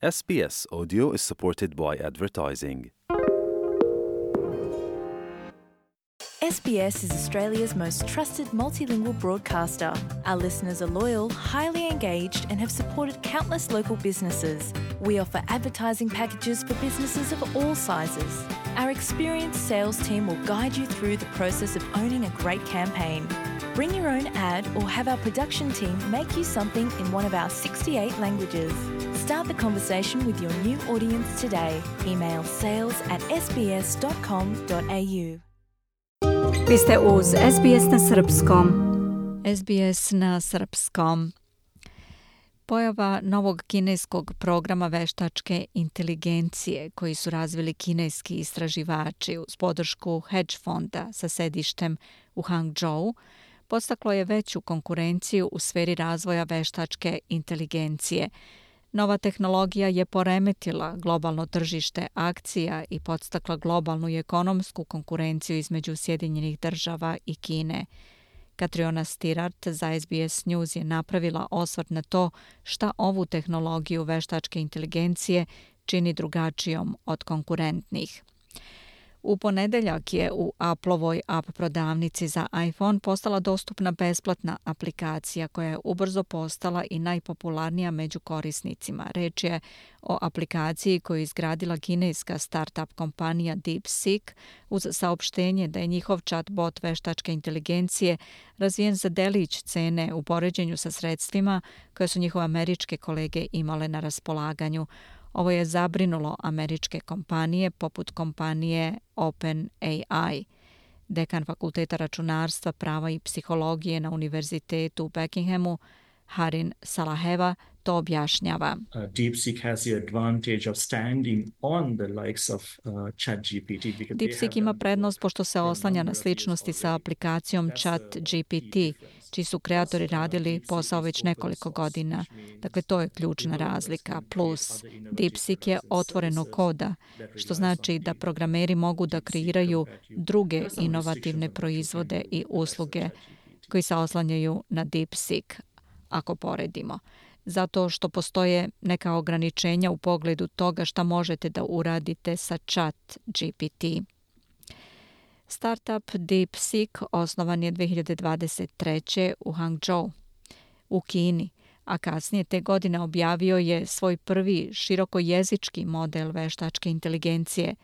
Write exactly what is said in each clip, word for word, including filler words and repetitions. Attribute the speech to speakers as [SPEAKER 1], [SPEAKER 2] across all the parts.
[SPEAKER 1] S B S Audio is supported by advertising.
[SPEAKER 2] S B S is Australia's most trusted multilingual broadcaster. Our listeners are loyal, highly engaged, and have supported countless local businesses. We offer advertising packages for businesses of all sizes. Our experienced sales team will guide you through the process of owning a great campaign. Bring your own ad or have our production team make you something in one of our sixty-eight languages. Start the conversation with your new audience today. Email sales at s b s dot com dot a u.
[SPEAKER 3] Vi ste uz S B S na srpskom.
[SPEAKER 4] S B S na srpskom. Pojava novog kineskog programa veštačke inteligencije koji su razvili kineski istraživači uz podršku hedge fonda sa sedištem u Hangzhou podstaklo je veću konkurenciju u sferi razvoja veštačke inteligencije. Nova tehnologija je poremetila globalno tržište akcija i podstakla globalnu i ekonomsku konkurenciju između Sjedinjenih država i Kine. Katriona Stirart za S B S News je napravila osvrt na to šta ovu tehnologiju veštačke inteligencije čini drugačijom od konkurentnih. U ponedeljak je u Applovoj app prodavnici za iPhone postala dostupna besplatna aplikacija koja je ubrzo postala i najpopularnija među korisnicima. Reč je o aplikaciji koju je izgradila kineska startup kompanija DeepSeek uz saopštenje da je njihov chatbot veštačke inteligencije razvijen za delić cene u poređenju sa sredstvima koje su njihove američke kolege imale na raspolaganju. Ovo je zabrinulo američke kompanije poput kompanije OpenAI. Dekan Fakulteta računarstva, prava i psihologije na Univerzitetu u Buckinghamu, Harin Salaheva, to objašnjava.
[SPEAKER 5] Uh, DeepSeek has the advantage of standing on the likes of uh, ChatGPT.
[SPEAKER 4] DeepSeek ima prednost pošto se oslanja na sličnosti sa aplikacijom ChatGPT, čiji su kreatori radili posao već nekoliko godina. Dakle, to je ključna razlika. Plus, DeepSeek je otvoreno koda, što znači da programeri mogu da kreiraju druge inovativne proizvode i usluge koji se oslanjaju na DeepSeek, ako poredimo. Zato što postoje neka ograničenja u pogledu toga šta možete da uradite sa ChatGPT. Startup DeepSeek osnovan je dve hiljade dvadeset treće u Hangzhou u Kini, a kasnije te godine objavio je svoj prvi širokojezički model veštačke inteligencije.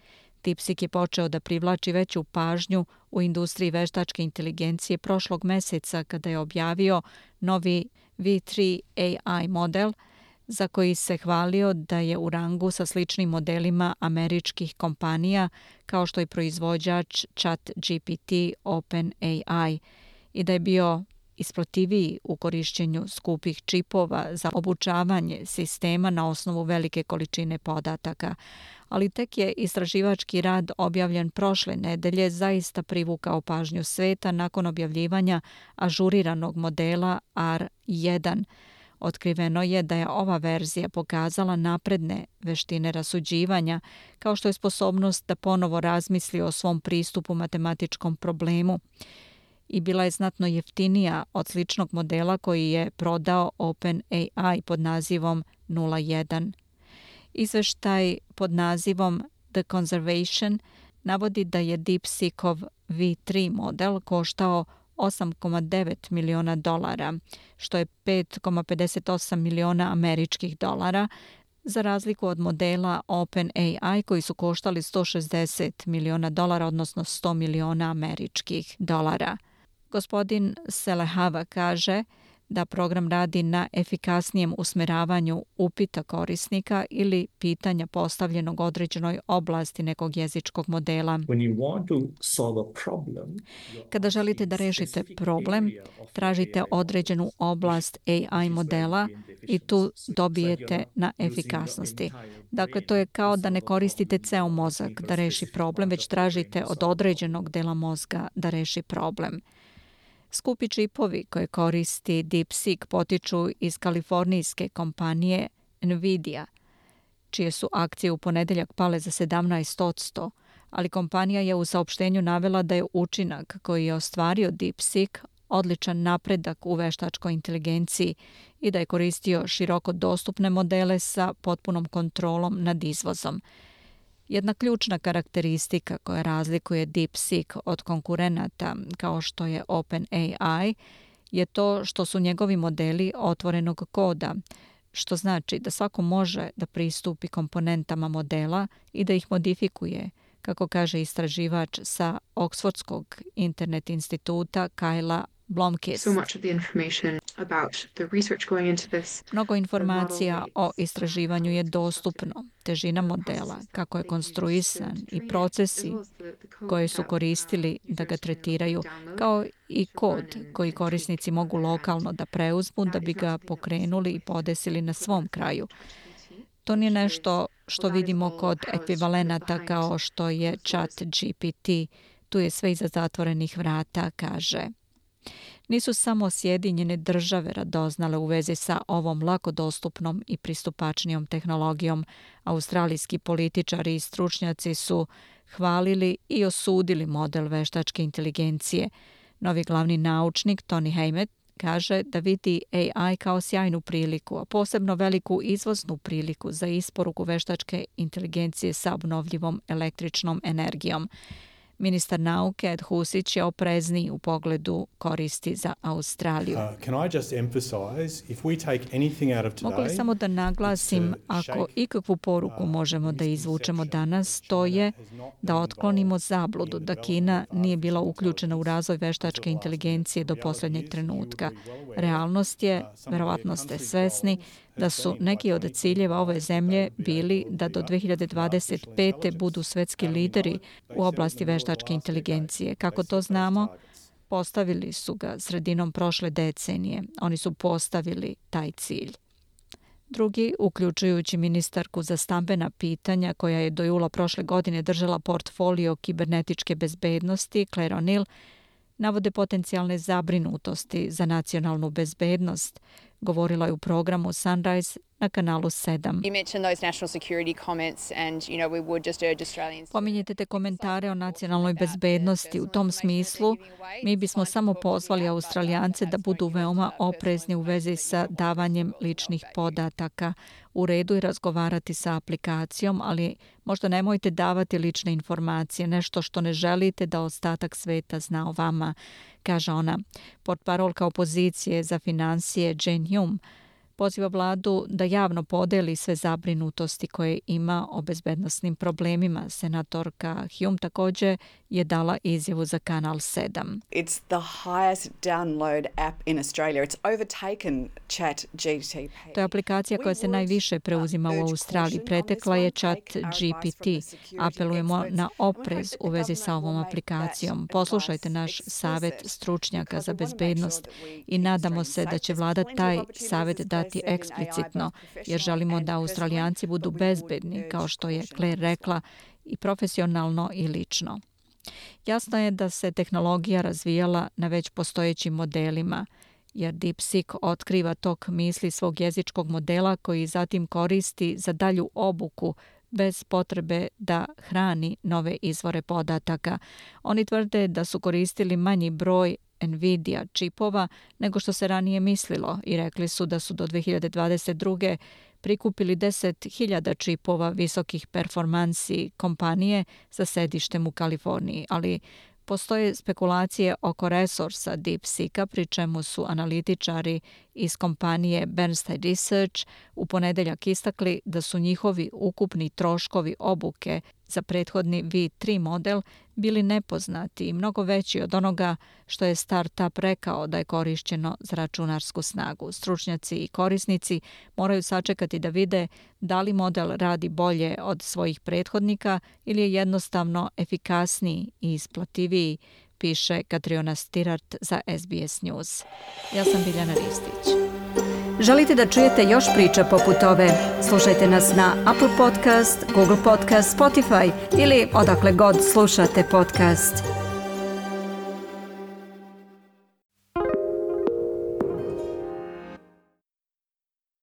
[SPEAKER 4] DeepSeek je počeo da privlači veću pažnju u industriji veštačke inteligencije prošlog meseca kada je objavio novi V tri A I model za koji se hvalio da je u rangu sa sličnim modelima američkih kompanija kao što je proizvođač ChatGPT OpenAI i da je bio isplativiji u korišćenju skupih čipova za obučavanje sistema na osnovu velike količine podataka. Ali tek je istraživački rad objavljen prošle nedelje zaista privukao pažnju sveta nakon objavljivanja ažuriranog modela R jedan. Otkriveno je da je ova verzija pokazala napredne veštine rasuđivanja, kao što je sposobnost da ponovo razmisli o svom pristupu matematičkom problemu, i bila je znatno jeftinija od sličnog modela koji je prodao OpenAI pod nazivom nula jedan. Izveštaj pod nazivom The Conservation navodi da je DeepSeekov V tri model koštao osam zarez devet miliona dolara, što je pet zarez pedeset osam miliona američkih dolara, za razliku od modela OpenAI koji su koštali sto šezdeset miliona dolara, odnosno sto miliona američkih dolara. Gospodin Selehava kaže da program radi na efikasnijem usmeravanju upita korisnika ili pitanja postavljenog određenoj oblasti nekog jezičkog modela. Kada želite da rešite problem, tražite određenu oblast A I modela i tu dobijete na efikasnosti. Dakle, to je kao da ne koristite ceo mozak da reši problem, već tražite od određenog dela mozga da reši problem. Skupi čipovi koje koristi DeepSeek potiču iz kalifornijske kompanije Nvidia, čije su akcije u ponedeljak pale za sedamnaest posto, ali kompanija je u saopštenju navela da je učinak koji je ostvario DeepSeek odličan napredak u veštačkoj inteligenciji i da je koristio široko dostupne modele sa potpunom kontrolom nad izvozom. Jedna ključna karakteristika koja razlikuje DeepSeek od konkurenata kao što je OpenAI je to što su njegovi modeli otvorenog koda, što znači da svako može da pristupi komponentama modela i da ih modifikuje, kako kaže istraživač sa Oxfordskog internet instituta Kyla Blomkist. Mnogo informacija o istraživanju je dostupno. Težina modela, kako je konstruisan i procesi koje su koristili da ga tretiraju, kao i kod koji korisnici mogu lokalno da preuzmu da bi ga pokrenuli i podesili na svom kraju. To nije nešto što vidimo kod ekvivalenata kao što je ChatGPT. Tu je sve iza zatvorenih vrata, kaže. Nisu samo Sjedinjene države radoznale u vezi sa ovom lako dostupnom i pristupačnijom tehnologijom. Australijski političari i stručnjaci su hvalili i osudili model veštačke inteligencije. Novi glavni naučnik Tony Haymet kaže da vidi A I kao sjajnu priliku, a posebno veliku izvoznu priliku za isporuku veštačke inteligencije sa obnovljivom električnom energijom. Ministar nauke Ed Husić je oprezniji u pogledu koristi za Australiju. Mogu li samo da naglasim, ako ikakvu poruku možemo da izvučemo danas, to je da otklonimo zabludu da Kina nije bila uključena u razvoj veštačke inteligencije do posljednjeg trenutka. Realnost je, verovatno ste svesni, da su neki od ciljeva ove zemlje bili da do dve hiljade dvadeset pete budu svetski lideri u oblasti veštačke inteligencije. Kako to znamo? Postavili su ga sredinom prošle decenije. Oni su postavili taj cilj. Drugi, uključujući ministarku za stambena pitanja koja je do jula prošle godine držala portfolio kibernetičke bezbednosti, Claire O'Neill, navode potencijalne zabrinutosti za nacionalnu bezbednost. Govorila je u programu Sunrise na kanalu sedam. Pominjete te komentare o nacionalnoj bezbednosti. U tom smislu mi bismo samo pozvali Australijance da budu veoma oprezni u vezi sa davanjem ličnih podataka. U redu je razgovarati sa aplikacijom, ali možda nemojte davati lične informacije, nešto što ne želite da ostatak sveta zna o vama, kaže ona. Portparolka opozicije za financije Jane Hume poziva vladu da javno podeli sve zabrinutosti koje ima o bezbednosnim problemima. Senatorka Hume također je dala izjavu za kanal sedam.
[SPEAKER 6] It's the highest download app in Australia. It's overtaken ChatGPT.
[SPEAKER 4] To je aplikacija koja se najviše preuzima u Australiji. Pretekla je ChatGPT. Apelujemo na oprez u vezi sa ovom aplikacijom. Poslušajte naš savjet stručnjaka za bezbednost i nadamo se da će vlada taj savjet dati eksplicitno, jer želimo da Australijanci budu bezbedni, kao što je Claire rekla, i profesionalno i lično. Jasno je da se tehnologija razvijala na već postojećim modelima, jer DeepSeek otkriva tok misli svog jezičkog modela koji zatim koristi za dalju obuku bez potrebe da hrani nove izvore podataka. Oni tvrde da su koristili manji broj Nvidia čipova nego što se ranije mislilo i rekli su da su do dve hiljade dvadeset druge prikupili deset hiljada čipova visokih performansi kompanije sa sedištem u Kaliforniji, ali postoje spekulacije oko resursa DeepSeeka, pri čemu su analitičari iz kompanije Bernstein Research u ponedeljak istakli da su njihovi ukupni troškovi obuke za prethodni V tri model bili nepoznati i mnogo veći od onoga što je startup rekao da je korišćeno za računarsku snagu. Stručnjaci i korisnici moraju sačekati da vide da li model radi bolje od svojih prethodnika ili je jednostavno efikasniji i isplativiji, piše Katriona Stirart za S B S News. Ja sam Biljana Ristić.
[SPEAKER 3] Želite da čujete još priča poput ove? Slušajte nas na Apple Podcast, Google Podcast, Spotify ili odakle god slušate podcast.